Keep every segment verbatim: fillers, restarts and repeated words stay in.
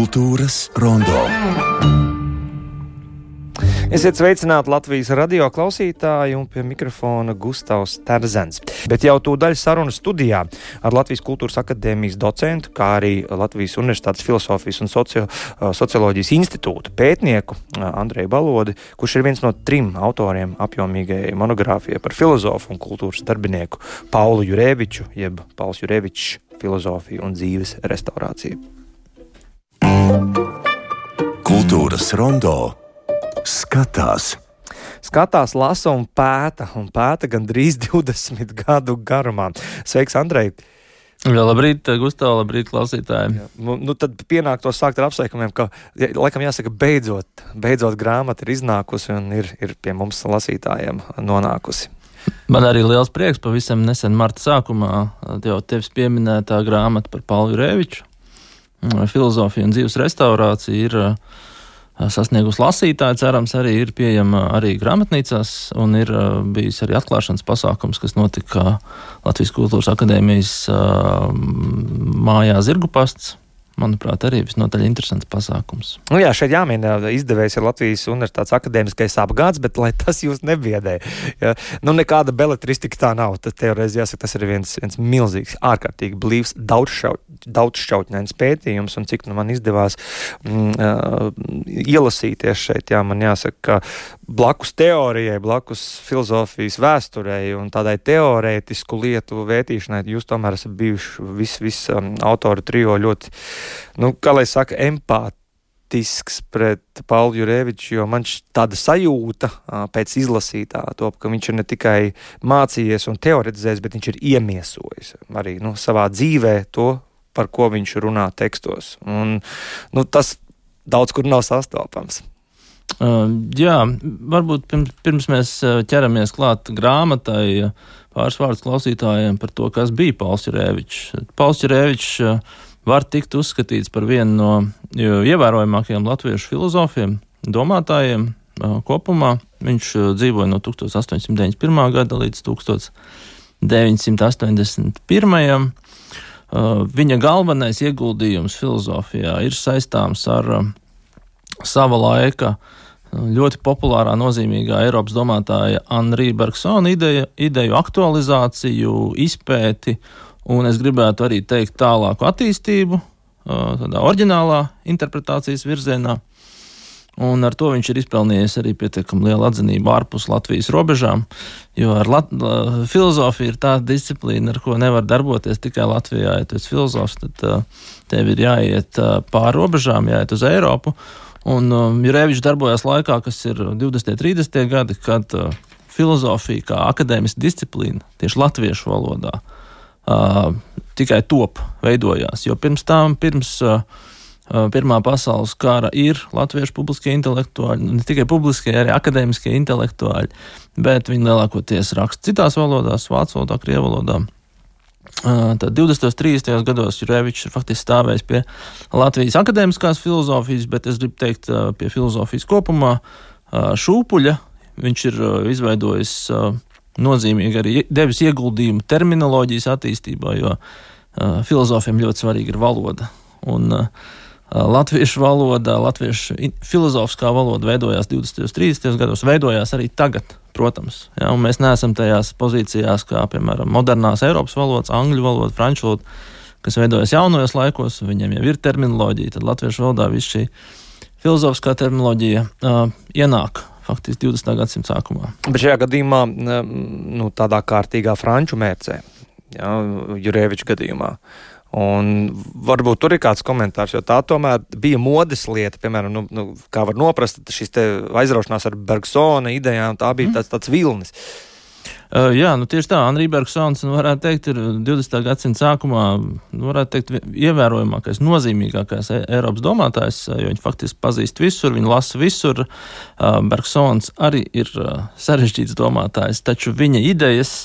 Kultūras rondo. Esiet sveicināti Latvijas radio klausītāji un pie mikrofona Gustavs Terzens. Bet jau tūdaļ sarunu studijā ar Latvijas Kultūras akadēmijas docentu, kā arī Latvijas Universitātes filosofijas un socio, socioloģijas institūta pētnieku Andreju Balodi, kurš ir viens no trim autoriem apjomīgai monogrāfijai par filozofu un kultūras darbinieku Paulu Jurēviču, jeb Pauls Jurēvičs filozofiju un dzīves restaurāciju. Kultūras rondo. Skatās. Skatās, lasa un pēta, un pēta gandrīz divdesmit gadu garumā. Sveiks, Andrej! Jā, labrīt, Gustav, labrīt, klausītāji. Nu, nu tad pienāk to sākt ar apsveikumiem, ka, laikam jāsaka, beidzot, beidzot grāmata ir iznākusi un ir, ir pie mums lasītājiem nonākusi. Man arī liels prieks, pavisam nesen marta sākumā jau tevis pieminētā grāmata par Paulu Jurēviču. Filozofija un dzīves restaurācija ir sasniegusi lasītāji, cerams, arī ir pieejama arī grāmatnīcās, un ir bijis arī atklāšanas pasākums, kas notika Latvijas Kultūras akadēmijas mājā Zirgupasts. Manuprāt, arī visnotaļ interesants pasākums. Nu jā, šeit jāmin, izdevējs ir Latvijas Universitātes akadēmiskais apgāds, bet lai tas jūs nebiedē. Ja? Nu, nekāda beletristika tā nav. Tad teoreiz jāsaka, tas ir viens, viens milzīgs, ārkārtīgi blīvs, daudzšķaut, daudzšķautņains pētījums, un cik nu man izdevās mm, uh, ielasīties šeit, jā, man jāsaka, ka blakus teorijai, blakus filozofijas vēsturei un tādai teorētisku lietu vētīšanai, jūs tomēr esat bijuši vis, vis um, autoru trio ļoti, nu, kā lai saka, empātisks pret Paulu Jurēviču, jo man tāda sajūta pēc izlasītā top, ka viņš ir ne tikai mācījies un teoretizējis, bet viņš ir iemiesojis arī, nu, savā dzīvē to, par ko viņš runā tekstos. Un, nu, tas daudz kur nav sastopams. Uh, jā, varbūt pirms, pirms mēs ķeramies klāt grāmatai, pāris vārdus klausītājiem par to, kas bija Pauls Jurēvičs. Pauls Jurēvičs var tikt uzskatīts par vienu no ievērojamākajiem latviešu filozofiem, domātājiem kopumā. Viņš dzīvoja no tūkstoš astoņsimt deviņdesmit pirmā gada līdz tūkstoš deviņsimt astoņdesmit pirmajam. Viņa galvenais ieguldījums filozofijā ir saistāms ar sava laika ļoti populārā, nozīmīgā Eiropas domātāja Henri Bergsona ideja, ideju aktualizāciju, izpēti, un es gribētu arī teikt tālāku attīstību, tādā oriģinālā interpretācijas virzienā, un ar to viņš ir izpelnījies arī pietiekami lielu atzinību ārpus Latvijas robežām, jo ar Lat- filozofija ir tāda disciplīna, ar ko nevar darboties tikai Latvijā. Ja tu esi filozofs, tad tev ir jāiet pāri robežām, jāiet uz Eiropu, un um, Jurēvičs darbojās laikā, kas ir divdesmitie, trīsdesmitie gadi, kad uh, filozofija kā akadēmiska disciplīna tieši latviešu valodā uh, tikai top veidojās, jo pirms tām, pirms uh, Pirmā pasaules kara ir latviešu publiskie intelektuāļi, ne tikai publiskie, arī akadēmiskie intelektuāļi, bet viņi lielākoties raksta citās valodās, vācu valodā, krievu valodā. Tad divdesmitajos, trīsdesmitajos gados Jurēvičs ir faktiski stāvējis pie Latvijas akadēmiskās filozofijas, bet es gribu teikt pie filozofijas kopumā šūpuļa. Viņš ir izveidojis nozīmīgi arī devis ieguldījumu terminoloģijas attīstībā, jo filozofiem ļoti svarīga ir valoda. Un latviešu valoda, latviešu filozofiskā valoda veidojās divdesmitajos, trīsdesmitajos gados, veidojās arī tagad, protams. Ja, un mēs neesam tajās pozīcijās, kā, piemēram, modernās Eiropas valodas, angļu valoda, franču valoda, kas veidojas jaunajos laikos, viņiem jau ir terminoloģija, tad latviešu valodā viss šī filozofiskā terminoloģija uh, ienāk faktiski divdesmitā gadsimta sākumā. Bet šajā gadījumā, nu, tādā kārtīgā franču mērcē, ja, Jurēviča gadījumā. Un varbūt tur ir kāds komentārs, jo tā tomēr bija modes lieta, piemēram, nu, nu, kā var noprast, šis te aizraušanās ar Bergsona idejām, tā bija tāds, tāds vilnis. Uh, jā, nu tieši tā, Henri Bergsons, nu, varētu teikt, ir divdesmitā gadsimta sākumā, nu, varētu teikt, ievērojamākais, nozīmīgākais Eiropas domātājs, jo viņi faktiski pazīst visur, viņi lasa visur. Uh, Bergsons arī ir uh, sarežģīts domātājs, taču viņa idejas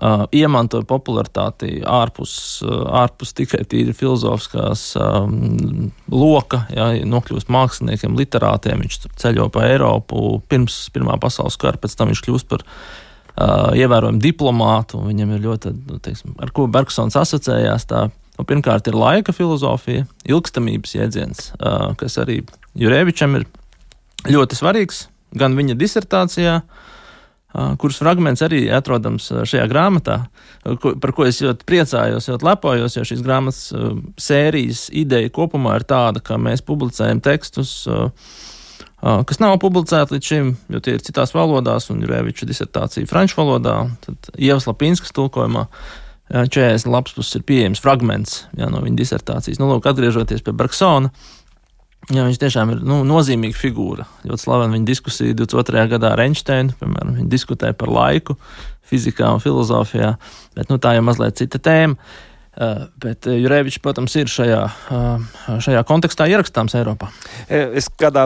Uh, iemantoja popularitāti ārpus, uh, ārpus tikai tīri filozofiskās um, loka, ja, nokļūst māksliniekiem, literātiem, viņš ceļo pa Eiropu pirms Pirmā pasaules kara, pēc tam viņš kļūst par uh, ievērojumu diplomātu, un viņam ir ļoti, teiksim, ar ko Bergsons asociējās, tā Nu, pirmkārt ir laika filozofija, ilgstamības jēdziens, kas arī Jurevičam ir ļoti svarīgs, gan viņa disertācijā, kuras fragments arī atrodams šajā grāmatā, par ko es ļoti priecājos, ļoti lepojos, jo šīs grāmatas sērijas ideja kopumā ir tāda, ka mēs publicējam tekstus, kas nav publicēti līdz šim, jo tie ir citās valodās, un Jureviča disertācija franču valodā, tad Ievas Lapinskas tulkojumā četrdesmit lapspuses ir pieejams fragments jā, no viņa disertācijas. Nu, lūk, atgriežoties pie Bergsona, jā, viņš tiešām ir nu, nozīmīga figūra. Ļoti slavena viņa diskusija divdesmit otrajā gadā ar Einsteinu, piemēram, viņi diskutēja par laiku fizikā un filozofijā, bet nu, tā jau mazliet cita tēma. Uh, bet Jurevičs, protams, ir šajā, uh, šajā kontekstā ierakstāms Eiropā. Es kādā,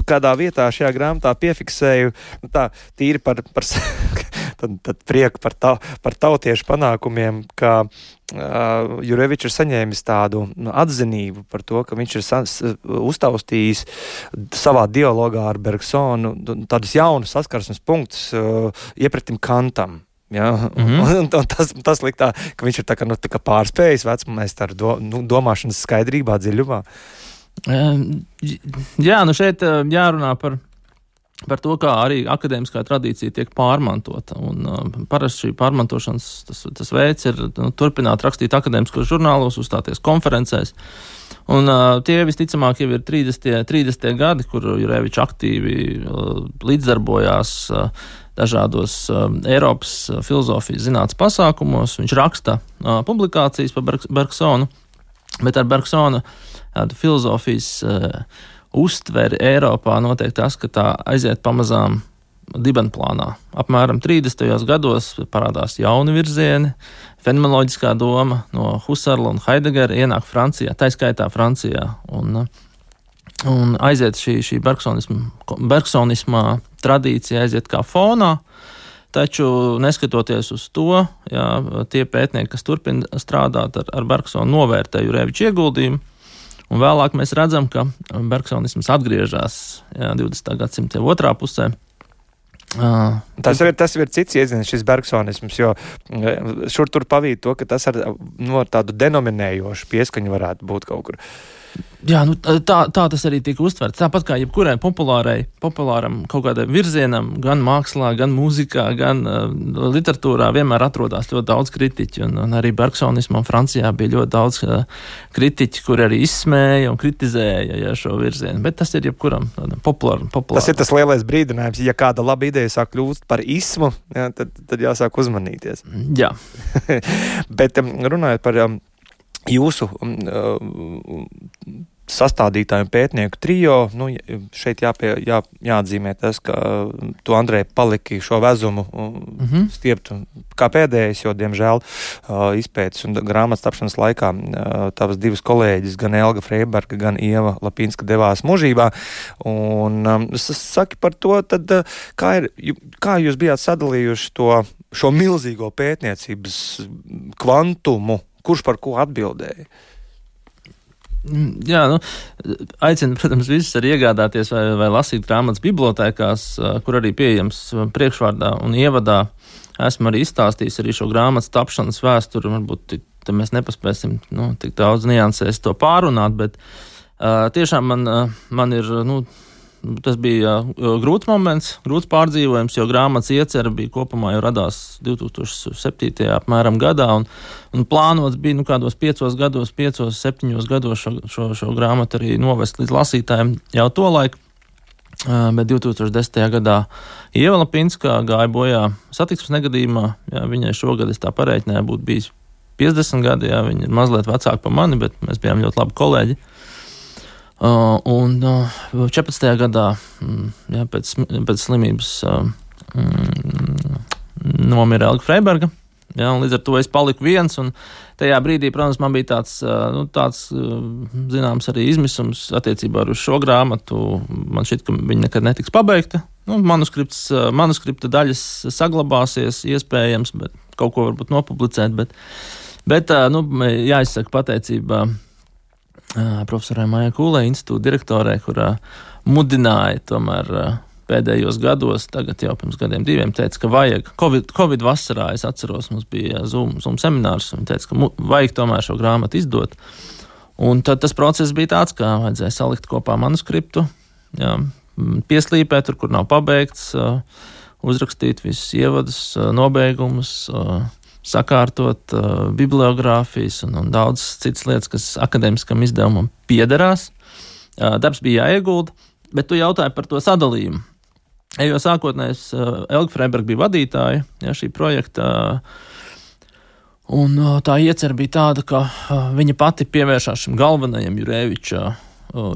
kādā vietā šajā grāmatā piefiksēju, nu tā, tīri par, par tad, tad prieku par, ta, par tautiešu panākumiem, ka uh, Jurevičs ir saņēmis tādu nu, atzinību par to, ka viņš ir sa, uztaustījis savā dialogā ar Bergsonu tādus jaunus saskarsmes punktus uh, iepratim Kantam. Ja? Mm-hmm. un, un tas, tas liktā, ka viņš ir tā kā, nu, tā kā pārspējis vecmeistaru do, nu, domāšanas skaidrībā, dziļumā. Jā, nu šeit jārunā par, par to, kā arī akadēmiskā tradīcija tiek pārmantota. Un uh, parasti šī pārmantošanas tas, tas veids ir nu, turpināt rakstīt akadēmiskos žurnālos, uzstāties konferencēs. Un uh, tie visticamāk jau ir trīsdesmitie gadi, kur Jurevičs aktīvi uh, līdzdarbojās uh, dažādos uh, Eiropas uh, filozofijas zinātnes pasākumos. Viņš raksta uh, publikācijas par Berg- Bergsonu, bet ar Bergsona uh, filozofijas uh, uztveri Eiropā notiek tas, ka tā aiziet pamazām dibenplānā. Apmēram trīsdesmitajos gados parādās jauni virzieni, fenomenoloģiskā doma no Husserla un Heideggera ienāk Francijā, tā skaitā Francijā, un, un aiziet šī, šī bergsonismā tradīcija aiziet kā fonā, taču neskatoties uz to, jā, tie pētnieki, kas turpina strādāt ar, ar Bergsonu, novērtē Jureviča ieguldījumu, un vēlāk mēs redzam, ka bergsonisms atgriežas jā, divdesmitā gadsimta otrā pusē. Uh, tas, ir, tas ir cits iedziens, šis bergsonisms, jo šur tur pavīd to, ka tas ar no, tādu denominējošu pieskaņu varētu būt kaut kur. Jā, nu, tā, tā tas arī tika uztverts. Tāpat kā jebkurai populārai, populāram kaut kādam virzienam, gan mākslā, gan mūzikā, gan uh, literatūrā vienmēr atrodās ļoti daudz kritiķi. Un, un arī bergsonismam Francijā bija ļoti daudz uh, kritiķi, kuri arī izsmēja un kritizēja ja, šo virzienu. Bet tas ir jebkuram populāram. populāram. Tas ir tas lielais brīdinājums. Ja kāda laba ideja sāk kļūst par ismu, jā, tad, tad jāsāk uzmanīties. Jā. Bet um, runājot par um, jūsu um, sastādītāju un pētnieku trijo, nu, šeit jāpie, jā, jāatzīmē tas, ka tu, Andrej, paliki šo vezumu mm-hmm. stieptu kā pēdējais, jo, diemžēl, izpētes un grāmatas tapšanas laikā tavas divas kolēģis, gan Elga Freiberga, gan Ieva Lapinska devās mūžībā. Un saki par to, tad kā, ir, kā jūs bijāt sadalījuši to, šo milzīgo pētniecības kvantumu, kurš par ko atbildēja? Jā, nu, aicinu, protams, visus arī iegādāties vai, vai lasīt grāmatas bibliotēkās, kur arī pieejams priekšvārdā un ievadā. Esmu arī izstāstījis arī šo grāmatas tapšanas vēsturi, varbūt te mēs nepaspēsim nu, tik daudz niansēs to pārunāt, bet uh, tiešām man, uh, man ir, nu, tas bija uh, grūts moments, grūts pārdzīvojums, jo grāmatas iecer bija kopumā jau radās divi tūkstoši septītajā apmēram gadā, un, un plānots bija nu, kādos piecos gados, piecos, septiņos gados šo, šo, šo grāmatu arī novest līdz lasītājiem jau to laiku, uh, bet divi tūkstoši desmitajā gadā Ieva Lapinska gāja bojā satiksmes negadījumā, jā, viņai šogad es tā parēķināju būtu bijis piecdesmit gadi, jā, viņa ir mazliet vecāka par mani, bet mēs bijām ļoti labi kolēģi. Uh, un uh, četrpadsmitajā gadā mm, jā, pēc, pēc slimības uh, mm, nomira Elga Freiberga, jā, un līdz ar to es paliku viens, un tajā brīdī, protams, man bija tāds, uh, nu, tāds uh, zināms arī izmisums attiecībā uz šo grāmatu. Man šķiet, ka viņa nekad netiks pabeigta. Nu, manuskripts, uh, manuskripta daļas saglabāsies, iespējams, bet kaut ko varbūt nopublicēt, bet, bet uh, nu, jāizsaka pateicība profesorai Maijai Kūlei, institūta direktorei, kurā mudināja tomēr pēdējos gados, tagad jau pirms gadiem diviem, teica, ka vajag, Covid, Covid vasarā, es atceros, mums bija Zoom, Zoom seminārs, un teica, ka mu, vajag tomēr šo grāmatu izdot. Un tad tas process bija tāds, ka vajadzēja salikt kopā manuskriptu, jā, pieslīpēt tur, kur nav pabeigts, uzrakstīt visus ievadus, nobeigumus, sakārtot bibliogrāfijas un, un daudz citas lietas, kas akadēmiskam izdevumam piederās. Darbs bija jāiegulda, bet tu jautāji par to sadalījumu. Jo sākotnējs Elga Freiberga bija vadītāja, jā, šī projekta, un tā iecer bija tāda, ka viņa pati pievēršās šim galvenajam Jureviča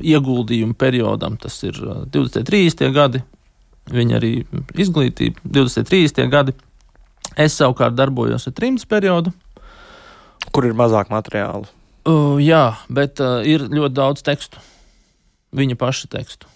ieguldījumu periodam, tas ir divdesmit trīsdesmitie gadi, viņa arī izglītība divdesmit trīsdesmitie gadi. Es savukārt darbojos ar trimdas periodu. Kur ir mazāk materiālu? Uh, jā, bet uh, ir ļoti daudz tekstu. Viņa paša tekstu.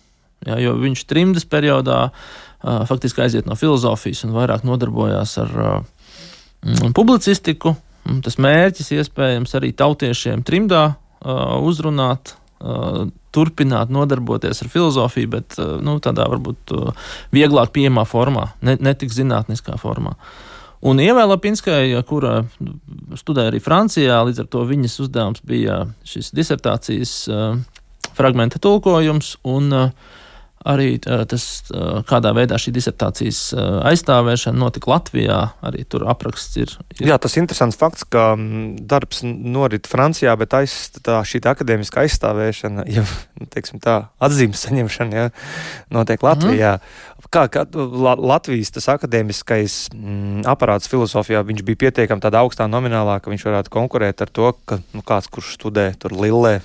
Jā, jo viņš trimdas periodā uh, faktiski aiziet no filozofijas un vairāk nodarbojās ar uh, publicistiku. Tas mērķis iespējams arī tautiešiem trimdā uh, uzrunāt, uh, turpināt nodarboties ar filozofiju, bet uh, nu, tādā varbūt uh, vieglāk pieejamā formā, ne, ne tik zinātniskā formā. Un Ievai Lapinskajai, kura studēja arī Francijā, līdz ar to viņas uzdevums bija šis disertācijas uh, fragmenta tulkojums un uh, arī uh, tas, uh, kādā veidā šī disertācijas uh, aizstāvēšana notika Latvijā, arī tur apraksts ir. ir. Jā, tas interesants fakts, ka darbs norit Francijā, bet aiz, tā, šī tā akadēmiska aizstāvēšana, ja, teiksim tā, atzīmes saņemšana, ja, notiek Latvijā. Mm. Kā, kā Latvijas tas akadēmiskais mm, aparāts filozofijā, viņš bija pietiekami tādā augstā nominālā, ka viņš varētu konkurēt ar to, ka nu, kāds, kurš studē tur Lillē,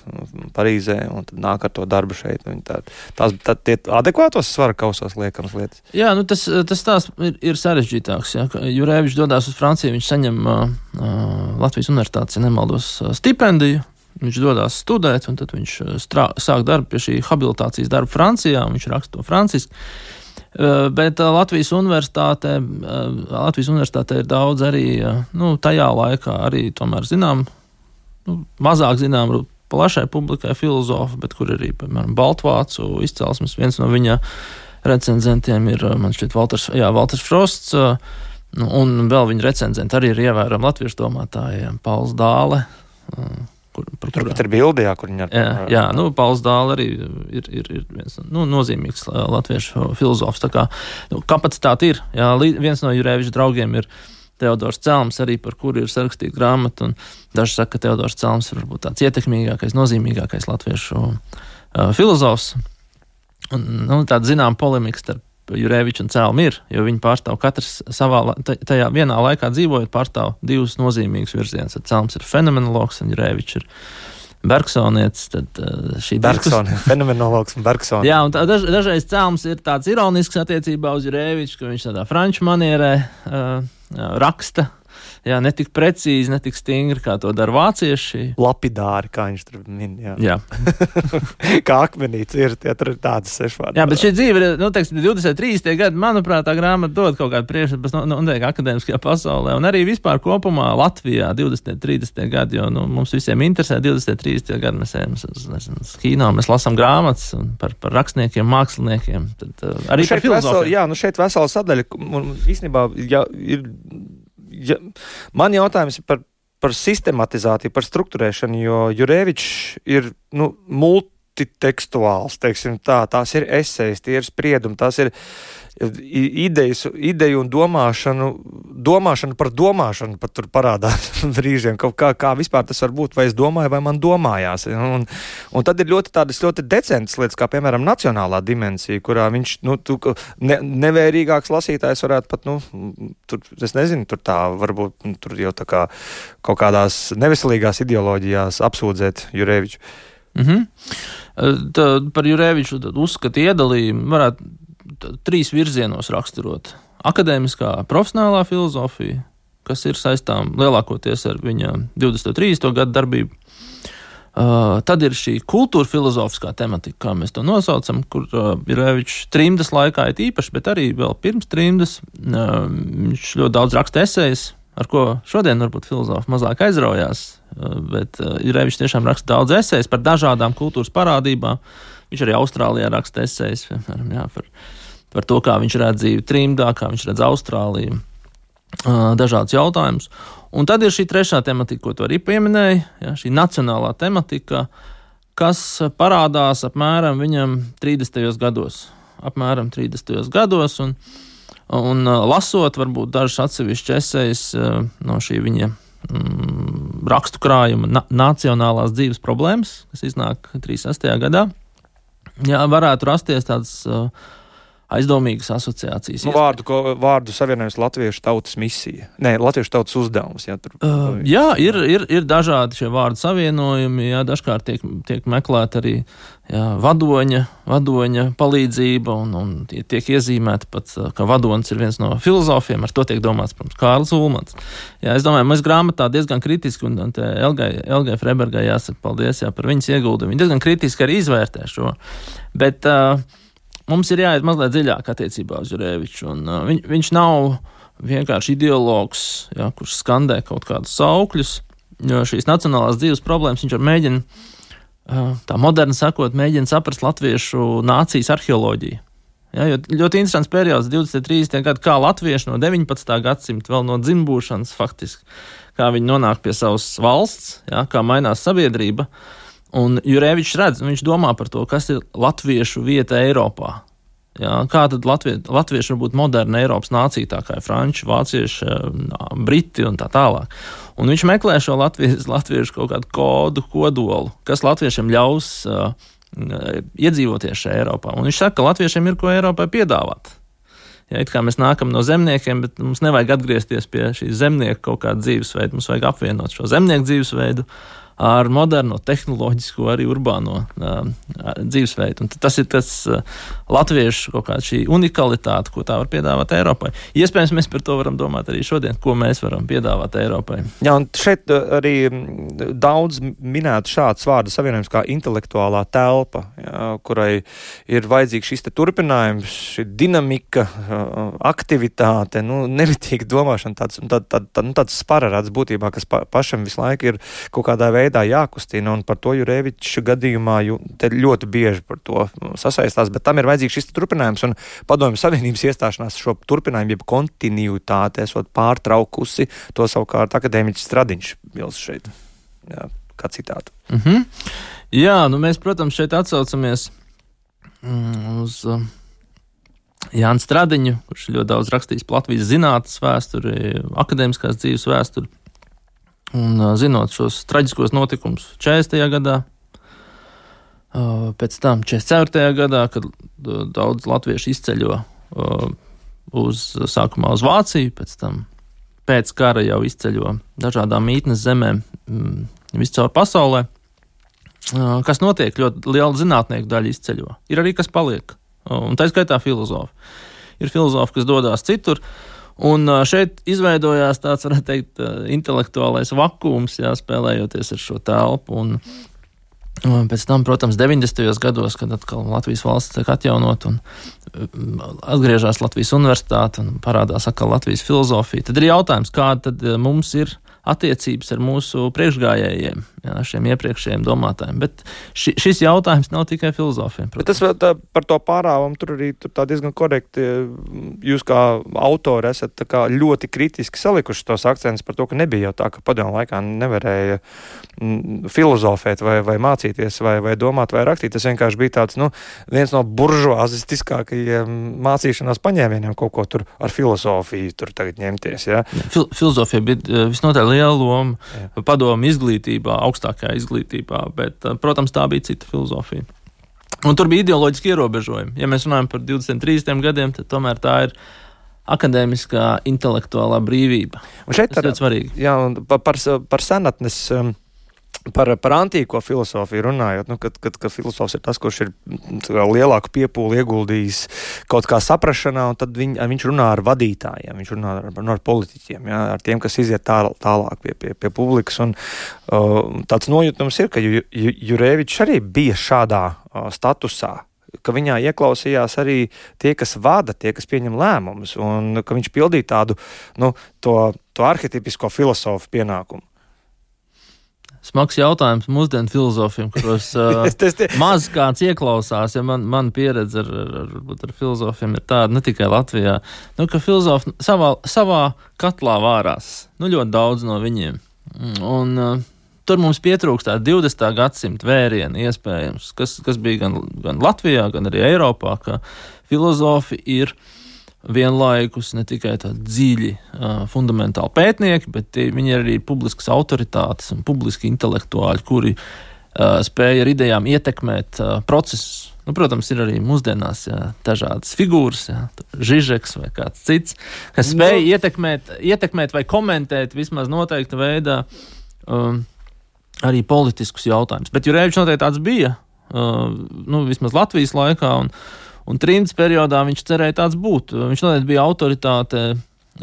Parīzē, un tad nāk ar to darbu šeit. Tā, tās, tā, tie adekvātos svara kausos liekamas lietas. Jā, nu tas, tas tās ir, ir sarežģītāks. Ja? Jurevičs dodās uz Franciju, viņš saņem uh, Latvijas universitātes, ja nemaldos, stipendiju. Viņš dodās studēt, un tad viņš strā, sāk darbu pie šī habilitācijas darba Francijā, un viņš raksta to franciski. Bet Latvijas universitātē, Latvijas universitātē ir daudz arī, nu, tajā laikā arī tomēr zinām, nu, mazāk zinām plašai publikai filozofi, bet kur arī, piemēram, baltvācu izcelsmes. Viens no viņa recenzentiem ir, man šķiet, Valters, jā, Valters Frosts, un vēl viņa recenzenti arī ir ievērami latviešu domātāji, Pauls Dāle, Kur, par tur pat ir bildi, jā, kur viņa ar... Jā, jā, nu, Pauls Dāle arī ir, ir, ir viens nu, nozīmīgs latviešu filozofs. Tā kā nu, kapacitāte ir. Jā, viens no Jureviča draugiem ir Teodors Celms, arī par kuru ir sarakstīta grāmata, un daži saka, ka Teodors Celms ir varbūt tāds ietekmīgākais, nozīmīgākais latviešu uh, filozofs. Un, nu, tāda zinām polemika starp Jureviču un Celmu ir, jo viņi pārstāv katrs savā, tajā vienā laikā dzīvojot, pārstāv divus nozīmīgus virzienus. Celms ir fenomenologs un Jurevičs ir Bergsonietis. Tad šī Bergsoni, diskus... fenomenologs un Bergsoni. Jā, un tā, daž, dažreiz Celms ir tāds ironisks attiecībā uz Jureviču, ka viņš tādā franču manierē uh, raksta. Jā, ne tik precīzi, ne tik stingri, kā to dara vācieši. Lapidāri, kā viņš tur min, jā. Jā. Kā akmenīts ir, tie tur ir tādas sešvārdi. Jā, bet šī dzīve ir, nu, teiksim, divdesmit trīsdesmitie gadi, manuprāt, tā grāmata dod kaut kādu priekšstatu, nu, un teik, akadēmiskajā pasaulē, un arī vispār kopumā Latvijā divdesmit trīsdesmitie gadi, jo, nu, mums visiem interesē divdesmit trīsdesmitie gadi, mēs ejam uz kino, mēs lasām grāmatas par, par rakstniekiem, māksliniekiem, tad uh, arī par filozofiem. Jā, nu šeit vesela sadaļa, un īstenībā, ja ir Ja, man jautājums ir par, par sistematizāciju, par strukturēšanu, jo Jurevičs ir nu, multitekstuāls, teiksim tā, tās ir esejas, tie ir spriedumi, tās ir idejas, ideju un domāšanu, domāšanu par domāšanu pat tur parādās brīžiem, kā, kā vispār tas var būt, vai es domāju, vai man domājās. Un, un tad ir ļoti tādas ļoti decentas lietas, kā piemēram nacionālā dimensija, kurā viņš, nu, tu, ne, nevērīgāks lasītājs varētu pat, nu, tur, es nezinu, tur tā, varbūt, nu, tur jau tā kā kaut kādās neveselīgās ideoloģijās apsūdzēt Jureviču. Mhm. Tā, par Jureviču uzskatu iedalījumu varētu trīs virzienos raksturot. Akadēmiskā profesionālā filozofija, kas ir saistām lielākoties ar viņa divdesmit trīsdesmito gadu darbību. Uh, tad ir šī kultūra filozofiskā tematika, kā mēs to nosaucam, kur uh, Jurevičs trimdas laikā ir īpaši, bet arī vēl pirms trimdas. Uh, viņš ļoti daudz raksta esejas, ar ko šodien varbūt filozofi mazāk aizraujās, uh, bet uh, Jurevičs tiešām raksta daudz esejas par dažādām kultūras parādībām. Viņš arī Austrālijā raksta esejas, piemēram, jā, par par to, kā viņš redz dzīvi trimdā, kā viņš redz Austrāliju, dažādus jautājumus. Un tad ir šī trešā tematika, ko tu arī pieminēji, ja, šī nacionālā tematika, kas parādās apmēram viņam trīsdesmitajos gados. Apmēram trīsdesmitajos gados, un, un lasot varbūt dažas atsevišķas esejas no šī viņa mm, rakstu krājuma na- nacionālās dzīves problēmas, kas iznāk trīsdesmit sestajā gadā, jā, varētu rasties tādas uh, aizdomīgas asociācijas. Nu, vārdu, ko, vārdu savienojums Latviešu tautas misija. Nē, Latviešu tautas uzdevums. Jā, tur, uh, jā ir, ir, ir dažādi šie vārdu savienojumi, jā, dažkārt tiek, tiek meklēt arī jā, vadoņa, vadoņa palīdzība, un, un tiek iezīmēta pat, ka vadonis ir viens no filozofiem, ar to tiek domāts, protams, Kārlis Ulmans. Jā, es domāju, mēs grāmatā diezgan kritiski, un, un te Elgai, Elgai Freibergai jāsaka paldies jā, par viņas ieguldījumu. Viņa diezgan kritiski arī izvērtē šo. Bet uh, mums ir jāiet mazliet dziļāk attiecībā uz Jureviču, un uh, viņ, viņš nav vienkārši ideologs, jā, kurš skandē kaut kādus saukļus, jo šīs nacionālās dzīves problēmas viņš mēģina, uh, tā moderni sakot, mēģina saprast latviešu nācijas arheoloģiju. Jā, jo ļoti interesants periods, divdesmit trīsdesmit gadi, kā latvieši no deviņpadsmitā gadsimta, vēl no dzimbūšanas faktiski, kā viņi nonāk pie savas valsts, jā, kā mainās sabiedrība. Un Jurevičs redz, viņš domā par to, kas ir latviešu vieta Eiropā. Jā, kā tad Latvie, latvieši var būt moderna Eiropas nācija, tā kā ir franči, vācieši, briti un tā tālāk. Un viņš meklē šo latviešu, latviešu kaut kādu kodu, kodolu, kas latviešiem ļaus uh, iedzīvoties šajā Eiropā. Un viņš saka, ka latviešiem ir ko Eiropai piedāvāt. Ja, it kā mēs nākam no zemniekiem, bet mums nevajag atgriezties pie šīs zemnieku kaut kāda dzīvesveida, mums vajag apvienot šo zemnieku dzīvesveidu ar moderno, tehnoloģisko, arī urbāno uh, dzīvesveidu. Un tas ir tas uh, latviešu kaut kāda šī unikalitāte, ko tā var piedāvāt Eiropai. Iespējams, mēs par to varam domāt arī šodien, ko mēs varam piedāvāt Eiropai. Jā, un šeit arī daudz minētu šāds vārdu savienojums kā intelektuālā telpa, jā, kurai ir vajadzīgs šis te turpinājums, šī dinamika, aktivitāte, nu, nevitīga domāšana, tāds, tā, tā, tā, nu, tāds spararāds būtībā, kas pa, pašam visu laiku ir kaut kādā veidā jākustina, un par to Jureviča gadījumā ju, te ļoti bieži par to sasaistās, bet tam ir vajadzīgs šis turpinājums, un Padomju Savienības iestāšanās šo turpinājumu, jeb kontinuitāti esot pārtraukusi, to savukārt akadēmiķis Stradiņš bilst šeit, jā, kā citātu. Mhm. Jā, nu mēs, protams, šeit atsaucamies mm, uz uh, Jānu Stradiņu, kurš ļoti daudz rakstījis par Latvijas zinātnes vēsturi, akadēmiskās dzīves vēsturi. Un zinot šos traģiskos notikumus četrdesmitajā gadā, pēc tam četrdesmit ceturtajā gadā, kad daudz latviešu izceļo uz, sākumā uz Vāciju, pēc tam pēc kara jau izceļo dažādām mītnes zemēm viscaur pasaulē. Kas notiek? Ļoti liela zinātnieku daļa izceļo. Ir arī kas paliek, un tā skaitā filozofi. Ir filozofi, kas dodās citur. Un šeit izveidojās tāds, varētu teikt, intelektuālais vakums, jā, spēlējoties ar šo telpu. Un pēc tam, protams, deviņdesmitajos gados, kad atkal Latvijas valsts tiek atjaunot un atgriežas Latvijas universitāte un parādās atkal Latvijas filozofija, tad ir jautājums, kāda tad mums ir attiecības ar mūsu priekšgājējiem, jā, šiem iepriekšējiem domātājiem. Bet ši, šis jautājums nav tikai filozofiem. Bet tas tā, par to pārāvumu tur arī tur tā diezgan korekti. Jūs kā autori esat tā kā ļoti kritiski salikuši tos akcentus par to, ka nebija jau tā, ka padomju laikā nevarēja filozofēt vai, vai mācīties vai, vai domāt vai rakstīt. Tas vienkārši bija tāds, nu, viens no buržuāzistiskākajiem mācīšanās paņēmieniem kaut ko tur ar filozofiju tur tagad ņemties, jā. Fil- filozofija bija visnotaļ liela loma padomju izglītībā, augstākajā izglītībā, bet, protams, tā bija cita filozofija. Un tur bija ideoloģiski ierobežojumi. Ja mēs runājam par divdesmit trīsdesmit gadiem, tad tomēr tā ir akadēmiskā intelektuālā brīvība. Un šeit tas ir ļoti svarīgi. Jā, un par, par, par senatnes, par, par antīko filozofiju runājot, nu, kad, kad, kad filozofs ir tas, kurš ir lielāku piepūli ieguldījis kaut kā saprašanā, un tad viņ, viņš runā ar vadītājiem, viņš runā ar, ar politiķiem, jā, ar tiem, kas iziet tā, tālāk pie, pie, pie publikas, un uh, tāds nojūtums ir, ka Ju, Ju, Jurevičs arī bija šādā uh, statusā, ka viņā ieklausījās arī tie, kas vada, tie, kas pieņem lēmumus, un ka viņš pildīja tādu, nu, to, to arhetipisko filozofu pienākumu. smags jautājums mūsdienu filozofiem, kuros uh, maz kāds ieklausās, ja man, man pieredze ar, ar, ar, ar filozofiem ir tāda, ne tikai Latvijā, nu, ka filozofi savā, savā katlā vārās, nu, ļoti daudz no viņiem. Un uh, tur mums pietrūkst tā divdesmitā gadsimta vēriena iespējams, kas, kas bija gan, gan Latvijā, gan arī Eiropā, ka filozofi ir vienlaikus ne tikai tādi dziļi, uh, fundamentāli pētnieki, bet tie, viņi ir arī publiskas autoritātes un publiski intelektuāļi, kuri uh, spēja ar idejām ietekmēt uh, procesus. Nu, protams, ir arī mūsdienās jā, dažādas figūras, jā, Žižeks vai kāds cits, kas spēja no. ietekmēt, ietekmēt vai komentēt vismaz noteikta veidā um, arī politiskus jautājumus. Bet Jurevičs noteikti tāds bija, uh, nu, vismaz Latvijas laikā, un Un trimdas periodā viņš cerēja tāds būt. Viņš noteikti bija autoritāte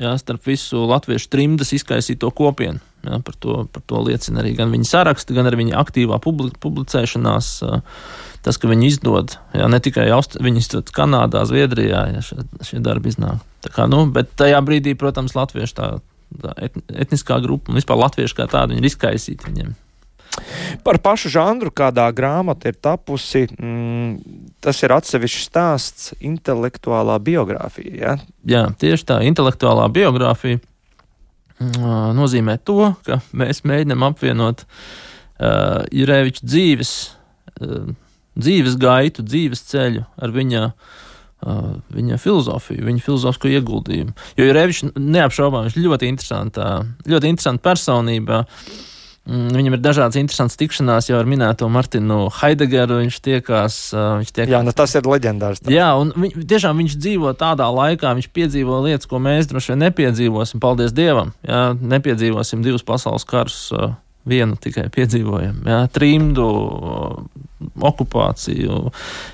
jā, starp visu latviešu trimdas izkaisīto kopienu. Jā, par, to, par to liecina arī gan viņa saraksti, gan arī viņa aktīvā publicēšanās. Tas, ka viņi izdod, jā, ne tikai Aust- viņi izdod Kanādā, Zviedrijā, jā, šie, šie darbi iznāk. Tā kā, nu, bet tajā brīdī, protams, latviešu tā, tā etniskā grupa un vispār latviešu kā tāda, viņi ir izkaisīti viņiem. Par pašu žanru, kādā grāmata ir tapusi, mm, tas ir atsevišķs stāsts, intelektuālā biogrāfija, ja? Jā, tieši tā, intelektuālā biogrāfija uh, nozīmē to, ka mēs mēģinām apvienot uh, Jureviča dzīves, uh, dzīves gaitu, dzīves ceļu ar viņa, uh, viņa filozofiju, viņa filozofisko ieguldījumu. Jo Jurevičs neapšaubām, viņš ļoti interesanta, ļoti interesanta personība. Viņam ir dažādas interesantas tikšanās jau ar minēto Martinu Heideggeru, viņš tiekās, viņš tiekās. Jā, nu tas ir leģendārs. Tā. Jā, un viņ, tiešām viņš dzīvo tādā laikā, viņš piedzīvo lietas, ko mēs droši vien nepiedzīvosim, paldies Dievam, jā, nepiedzīvosim divus pasaules karus, vienu tikai piedzīvojam, jā, trimdu, okupāciju,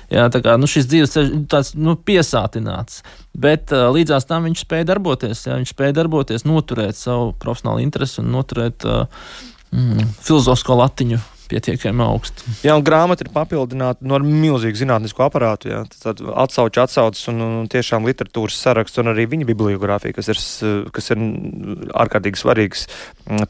jā, tā kā, nu šis dzīves ceļš tāds, nu, piesātināts, bet līdzās tam viņš spēja darboties, jā, viņš spēja darboties, noturēt savu profesionālu interesi un noturēt Mm, filozofisko latiņu pietiekami augsti. Jā, un grāmata ir papildināta no milzīgu zinātnisku aparātu, jā, tad atsauču atsaucas un, un tiešām literatūras saraksts un arī viņa bibliogrāfija, kas ir, kas ir ārkārtīgi svarīgs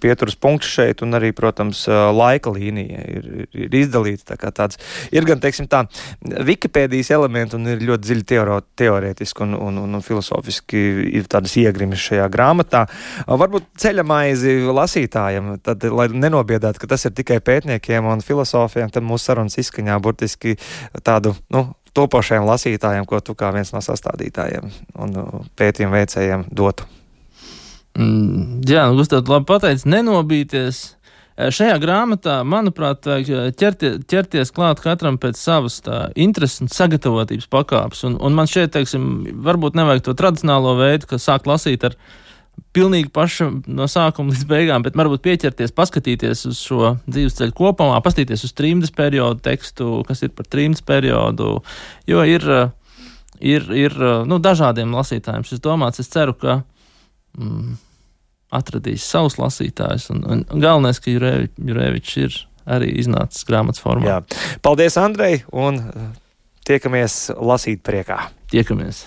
pieturas punkts šeit, un arī, protams, laika līnija ir, ir izdalīta, tā kā tāds, ir gan, teiksim tā, Wikipēdijas elementi un ir ļoti dziļi teoro, teorētiski un, un, un, un filosofiski ir tādas iegrimis šajā grāmatā. Varbūt ceļamaizi lasītājiem, tad, lai nenobiedētu, ka tas ir tikai pētnieki un filosofiem, tad mūsu sarunas izskaņā burtiski tādu, nu, topošajiem lasītājiem, ko tu kā viens no sastādītājiem un pētījumu veicējiem dotu. Mm, jā, nu, Gustav, labi pateicis, nenobīties. Šajā grāmatā, manuprāt, ķerties, ķerties klāt katram pēc savas tā intereses un sagatavotības pakāpes. Un, un man šeit, teiksim, varbūt nevajag to tradicionālo veidu, ka sāk lasīt ar pilnīgi paša no sākuma līdz beigām, bet varbūt pieķerties, paskatīties uz šo dzīves ceļu kopumā, paskatīties uz trimdas periodu tekstu, kas ir par trimdas periodu, jo ir, ir, ir nu, dažādiem lasītājiem šis domāts. Es ceru, ka mm, atradīs savus lasītājus, un, un galvenais, ka Jurevičs, Jurevičs ir arī iznācis grāmatas formā. Jā. Paldies, Andrej, un tiekamies lasīt priekā. Tiekamies.